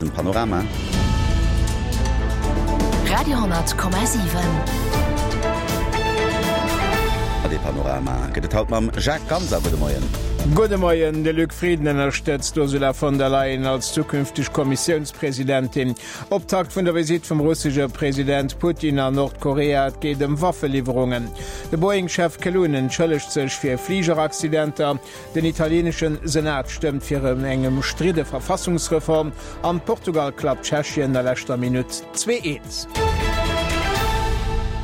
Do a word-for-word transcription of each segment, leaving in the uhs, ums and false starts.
de Panorama. Radio honnert Komma siwen. A dee Panorama gëtt et haut mam Jacques Ganser. Gudde Moien. Gudde Moien. De Luc Frieden ënnerstëtzt d'Ursula von der Leyen als zukünfteg Kommissiounspresidentin. Optakt vun der Visitt vum russesche President Putin an Nordkorea, et geet ëm Waffeliwwerungen. De Boeing-Chef Kelun entschëllegt sech fir Fligeraccidenter. Den italieenesche Senat stëmmt fir eng ëmstridde Verfassungsreform an Portugal klappt Tschechien a leschter Minutt zwee eens.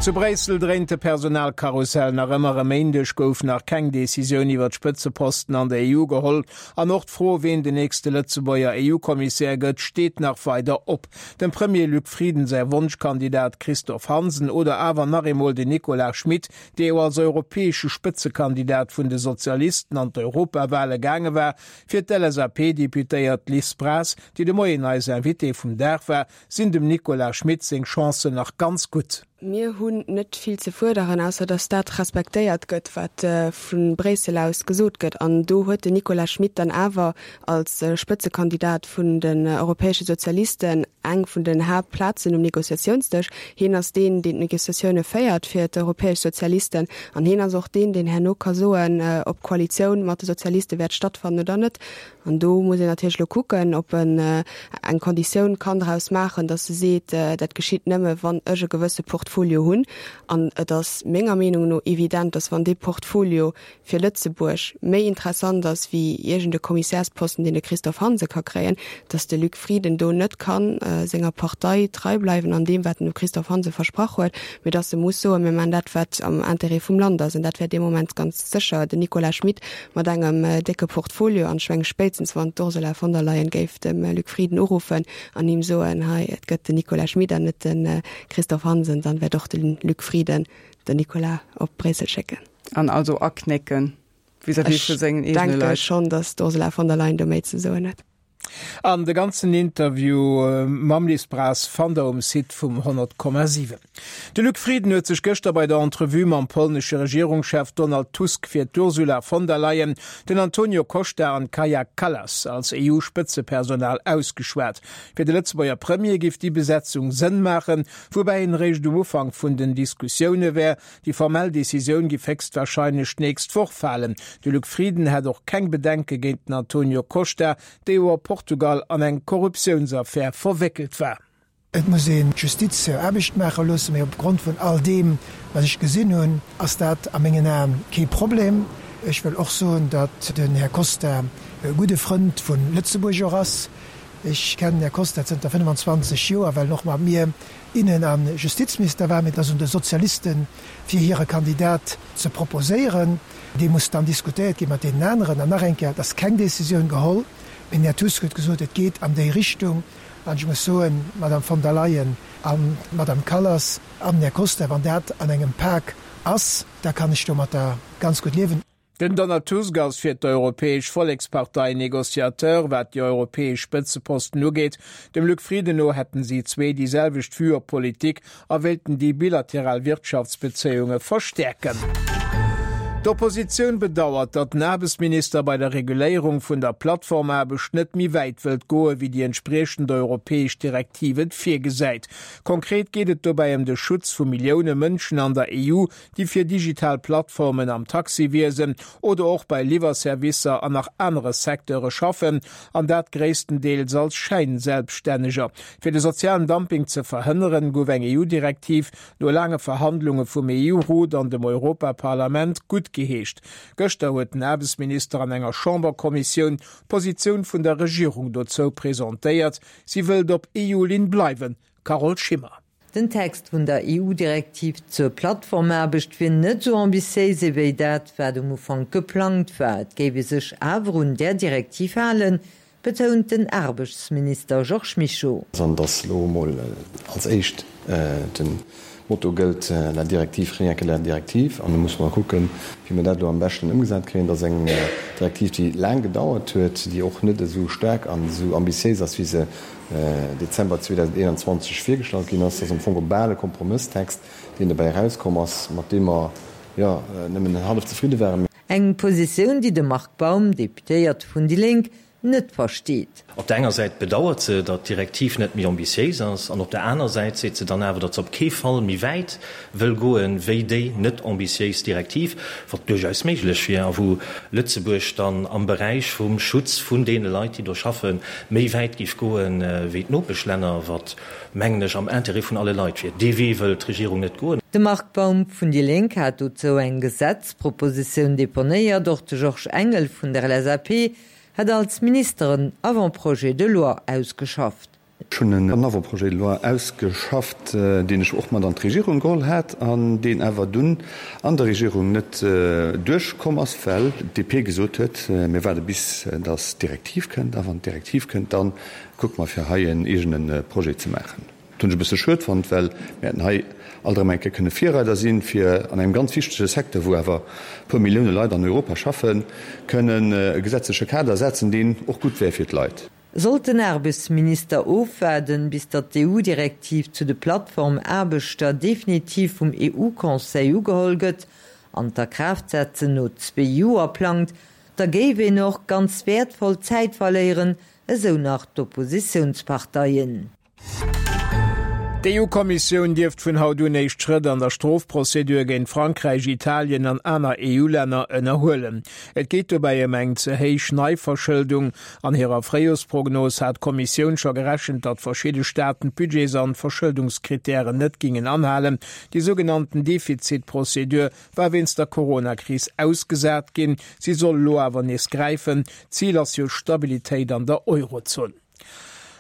Zu Bréissel dréint de Personalkarussell nach ëmmer. E Méindeg gouf nach keng Decisioun iwwer d'Spëtzeposten an der E U geholl an och d'Fro, ween den nächste Lëtzebuerger E U-Kommissär gëtt, steet nach weider op. Dem Premier Luc Frieden säi Wonschkandidat Christophe Hansen oder awer nach eemol den Nicolas Schmit, dee jo als europäesche Spëtzekandidat vun de Sozialisten an d'Europawale gaange war. Fir d'L S A P-Deputéiert Liz Braz, déi de Moien eis Invitée vum Dag war, sinn dem Nicolas Schmit seng Chancen nach ganz gutt. Mir hunn net vill ze fuerderen, ausser datt dat respektéiert gëtt, wat vu Bréissel aus gesot gëtt. An do huet den Nicolas Schmit dann awer als Spëtzekandidat vun den europäesche Sozialisten eng vun den Haaptplazen um Negociatiounsdësch. Hien ass deen, deen d'Negociatioune féiert fir d'europäesch Sozialisten. An hien ass och deen, deen herno ka soen, ob d'Koalitioun mat de Sozialiste wäert stattfannen oder net. An do muss een natierlech elo kucken, ob en eng Konditioun kann draus maachen, datt e seet, dat geschitt nëmme wann ech e gewësse Portfolio hunn. An et ass menger Meenung no evident, datt wann dee Portfolio fir Lëtzebuerg méi interessant ass wéi iergend e Kommissärsposten, deen de Christophe Hansen ka kréien, datt de Luc Frieden do net kann senger Partei trei bleiwen an deem, wat en dem Christophe Hansen versprach huet, mee datt e muss soen, mir maachen dat, wat am Intérêt vum Land ass. An dat wär dee Moment ganz sécher den Nicolas Schmit mat engem décke Portfolio. An ech menge spéitstens wann d'Ursula von der Leyen géif dem Luc Frieden uruffen an him soen, hei, et gëtt den Nicolas Schmit an net de Christophe Hansen, dann wäert och de Luc Frieden den Nicolas op Bréissel schécken. An also aknécken vis-à-vis vu sengen eegene Ech denke Leit. schonn, datt d'Ursula von der Leyen do méi ze soen huet. An de ganzen Interview mam Liz Braz fannt der um Site vum honnert Komma siwen. De Luc Frieden huet sech gëschter bei der Entrevue mam polnesche Regierungschef Donald Tusk fir d'Ursula von der Leyen, den Antonio Costa an d'Kaja Kallas als E U-Spëtzepersonal ausgeschwat. Fir de Lëtzebuerger Premier géif déi Besetzung Sënn maachen, woubäi en eréischt um Ufank vun den Diskussioune wär. Déi formell Decisioun géif héchstwarscheinlech d'nächst Woch falen. De Luc Frieden hätt och keng Bedenke géint den Antonio Costa, dee jo a Portugal an eng Korruptiounsaffär verwéckelt war. Et muss een d'Justiz hir Aarbecht maache loossen, mee opgrond vun all deem, wat ech gesinn hunn, ass dat a mengen Aen kee Problem. Ech wëll och soen, datt den Här Costa e gudde Frënd vu Lëtzebuerg och ass. Ech kennen den Här Costa zënter fënnfanzwanzeg Joer, well en och mat mir Innen a Justizminister war. Mee et ass un de Sozialisten, fir hire Kandidat ze proposéieren. Dee muss dann diskutéiert gi mat deenen aneren. An nach eng Kéier, et ass keng Decisioun geholl, mee den Här Tusk huet gesot, et geet an déi Richtung. An ech muss soen, d'Madame von der Leyen an d'Madame Kallas an den Här Costa, wann dat an engem Pak ass, da kann ech domatter ganz gutt liewen. Den Donald Tusk ass fir d'Europäesch Vollekspartei Negociateur, wat déi europäesch Spëtzeposten ugeet. Dem Luc Frieden no hätten si zwee déi selwecht Vue op Politik a wéilten déi bilateral Wirtschaftsbezéiunge verstäerken. D'Oppositioun bedauert, datt den Aarbechtsminister bei der Reguléierung vun der Plattformaarbecht net méi wäit wëllt goe wéi déi entspriechend europäesch Direktiv et virgesäit. Konkret geet et dobäi ëm de Schutz vu Millioune Mënschen an der E U, déi fir digital Plattformen am Taxiwiesen oder och bei Liwwerservicer an nach anere Secteure schaffen, an dat gréisstendeels als Schäinselbststänneger. Fir de sozialen Dumping ze verhënneren, gouf eng E U-Direktiv no laange Verhandlunge vum E U-Rot an dem Europaparlament guttgeheescht. Gëschter huet den Aarbechtsminister an enger Chamberkommissioun d'Positioun vun der Regierung dozou presentéiert. Si wëllt op E U-Linn bleiwen. Carole Schimmer. Den Text vun der E U-Direktiv zur Plattformaarbecht wier net sou ambitiéis ewéi dat, wat um Ufank geplangt war. Et géif ee sech awer un där Direktiv halen, betount den Aarbechtsminister Georges Mischo. An dass lo emol als éischt den Motto gëllt, la directive, rien que la directive. An da musse mer kucken, wéi mer dat elo am beschten ëmgesat kréien. Dat ass eng Direktiv, déi laang gedauert huet, déi och net esou staark an esou ambitiéis ass, wéi se Dezember zweedausendeenanzwanzeg virgestallt ginn ass. Dat ass am Fong e bal e Kompromësstext, deen dobäi erauskomm ass, mat deem mer, jo, nëmmen hallef zefridde waren. Eng Positioun, déi de Marc Baum, Deputéiert vun déi Lénk, net versteet. Op der enger Säit bedauert se, datt d'Direktiv net méi ambitiéis ass, an op der aner Säit seet se dann awer, datt se op kee Fall méi wäit wëll goen, wéi déi net ambitiéis Direktiv, wat duerchaus méiglech wier a wou Lëtzebuerg dann am Beräich vum Schutz vun deene Leit, déi do schaffen, méi wäit géif goen, wéi d'Nopeschlänner, wat, mengen ech, am Intérêt vun alle Leit wier. Dee Wee wëll d'Regierung net goen. De Marc Baum vun déi Lénk hat dozou eng Gesetzpropositioun deponéiert. Och de Georges Engel vun der LSAP hat als Minister en Avant-projet de loi ausgeschafft. Ech hunn en Avant-projet de loi ausgeschafft, deen ech och mat an d'Regierung geholl hat an deen awer dunn an der Regierung net duerchkomm ass, well d'DP gesot huet, Mir waarde bis datt d'Direktiv kënnt, a wann d'Direktiv kënnt, da kucke mer fir hei en eegene Projet ze maachen. Dat hunn ech e bësse schued fonnt, well mir hätten hei alt erëm eng Kéier kënne Virreider sinn, fir an engem ganz wichtege Secteur, wou awer e puer Millioune Leit an Europa schaffen, kënnen e gesetzleche Kader setzen, deen och gutt wär fir d'Leit. Sollt den Aarbechtsminister ofwaarden, bis datt d'EU-Direktiv zu de Plattformaarbechter definitiv vum EU-Conseil ugeholl gëtt an d'Akraaftsetzen no zwee Joer plangt, da géif een och ganz wäertvoll Zäit verléieren, esou nach d'Oppositiounsparteien. D'EU-Kommissioun dierft vun haut un éischt Schrëtt an der Strofprozedur géint Frankräich, Italien an aner EU-Länner ënnerhuelen. Et geet dobäi ëm eng ze héich Neiverschëldung. An hirer Fréijorsprognos hat d'Kommissioun scho gerechent, datt verschidde Staaten d'Budgets an d'Verschëldungskrittären net gingen anhalen. Déi sougenannten Defizitprozedur war wéinst der Coronakris ausgesat ginn. Si soll elo awer nees gräifen. Zil ass jo Stabilitéit an der Eurozon.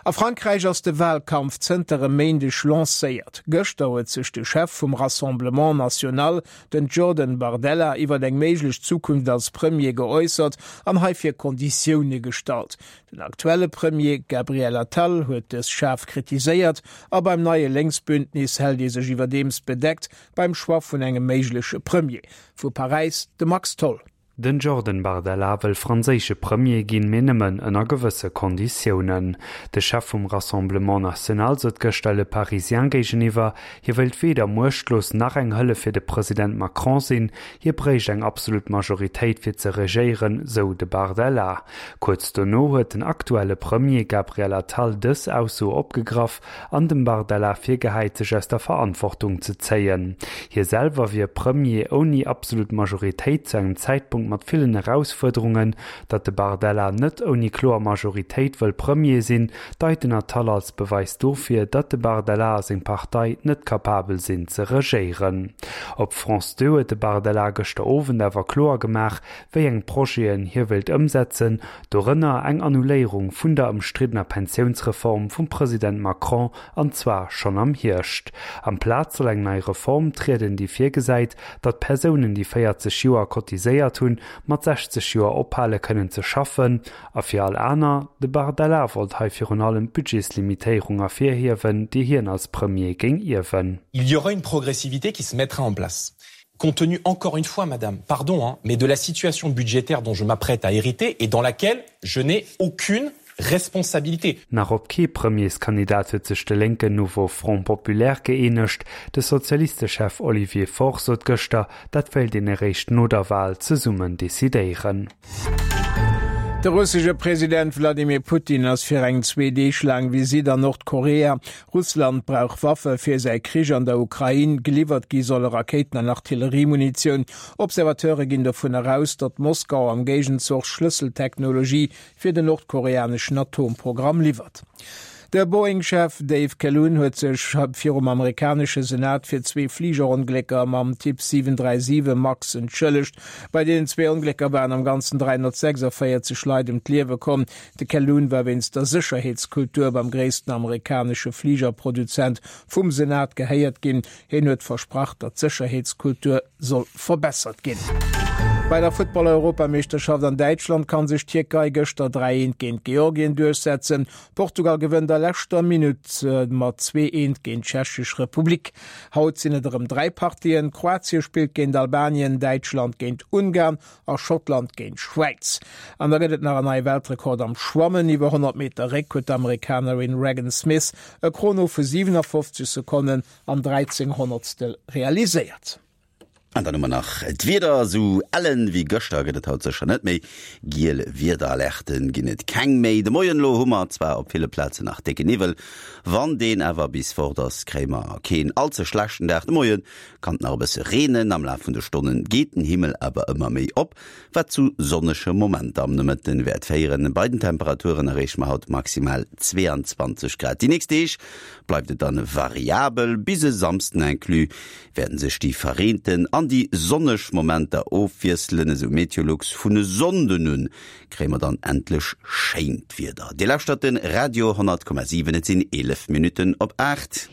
A Frankräich ass de Walkampf zënter e Méindeg lancéiert. Gëschter huet sech de Chef vum Rassemblement National, den Jordan Bardella, iwwer eng méiglech Zukunft als Premier geäussert an heifir Konditioune gestallt. Den aktuelle Premier Gabriel Attal huet dës schaarf kritiséiert a beim neie Lénksbündnis hält ee sech iwwerdeems bedeckt beim Choix vun engem méigleche Premier. Vu Paräis de Max Tholl. Den Jordan Bardella wëll franséische Premier ginn, mee nëmmen ënner gewësse Konditiounen. De Chef vum Rassemblement National sot gëschter Le Parisien géigeniwwer, hie wëilt weder muechtlos nach eng Hëllef fir de President Macron sinn, hie bréicht eng absolut Majoritéit fir ze regéieren, sou de Bardella. Kuerz dono huet den aktuelle Premier Gabriel Attal dës Ausso opgegraff an dem Bardella virgehäit, sech aus der Verantwortung ze zéien. Hie selwer wier Premier ouni absolut Majoritéit zu engem Zäitpunkt mat villen Erausfuerderungen, Datt de Bardella net ouni kloer Majoritéit wëll Premier sinn, deit den Attal als Beweis dofir, datt de Bardella a seng Partei net kapabel sinn ze regéieren. Op France Deux huet de Bardella gëschter Owend awer kloer gemaach, wéi eng Projeten hie wéilt ëmsetzen, dorënner eng Annuléierung vun der ëmstriddener Pensiounsreform vum President Macron, an zwar schonn am Hierscht. Amplaz soll eng nei Reform trieden, déi virgesäit, datt Persounen, déi véierzeg Joer cotiséiert hunn, mat sechzeg Joer ophale kënnen ze schaffen, a fir all aner. De Bardella wollt hei virun allem d'Budgetslimitéierung ervirhiewen, déi hien als Premier géing ierwen. Il y aura une progressivité qui se mettra en place. Compte tenu encore une fois, madame, pardon, hein, mais de la situation budgétaire dont je m'apprête à hériter et dans laquelle je n'ai aucune responsabilité. Nach op kee Premierskandidat huet sech de lénken Nouveau Front Populaire gëeenegt. De Sozialistechef Olivier Faure sot gëschter, dat wéilt een eréischt no der Wal zesummen decidéieren. De russesche President Wladimir Putin ass fir eng zwee Deeg laang Visitt an Nordkorea. Russland brauch Waffe fir säi Krich an der Ukrain. Geliwwert gi solle Rakéiten an Artilleriemunitioun. Observateure ginn dovunner aus, datt Moskau am Géigenzoch Schlësseltechnologie fir den nordkoreaneschen Atomprogramm liwwert. De Boeing-Chef Dave Calhoun huet sech virum amerikanesche Senat fir zwee Fligeronglécker mam Typ siwen dräi siwe Max entschëllegt. Bei deenen zwee Onglécker waren am Ganzen dräihonnertsechsundvéierzeg Leit ëm d'Liewe komm. De Calhoun war wéinst der Sécherheetskultur beim gréissten amerikanesche Fligerproduzent vum Senat gehéiert ginn. Hien huet versprach, datt d'Sécherheetskultur soll verbessert ginn. Bei der Futtball-Europameeschterschaft an Däitschland kann sech d'Tierkei gëschter dräi eent géint Georgien duerchsetzen. Portugal gewënnt a leschter Minutt mat zwee eent géint d'Tschechesch Republik. Haut sinn et erëm dräi Partien, Kroatie spillt géint Albanien, Däitschland géint Ungarn a Schottland géint d'Schwäiz. An da gëtt et nach en neie Weltrekord am Schwammen. Iwwer honnert Meter Réck huet d'Amerikanerin Regan Smith e Chrono vu siwenafofzeg Sekonnen an dräizéng Honnertstel realiséiert. An dann hu mer nach d'Wieder, Esou ellen wéi gëschter gëtt et haut sécher net méi. Giel Wiederalerte ginn et keng méi. De Moien elo hu mer zwar op ville Plazen nach décke Niwwel, wann deen awer bis fort ass, kréie mer keen all ze schlechten Dag. De Moie kann et nach e bësse reenen, am Laf vun de Stonne geet den Himmel awer ëmmer méi op, wat zu sonnege Momenter am Nomëtte wäert féieren. Bei den Temperaturen erreeche mer haut maximal zwee an zwanzeg Grad. Déi nächst Deeg bleift et dann variabel, bis e Samsden inclus wäerten sech déi verreenten an déi sonneg Momenter ofwiesselen, esou Meteolux. Vun e Sonnden un kréie mer dann endlech schéint Wieder. Dir lauschtert de Radio honnert Komma siwen, et sinn eelef Minutten op aacht.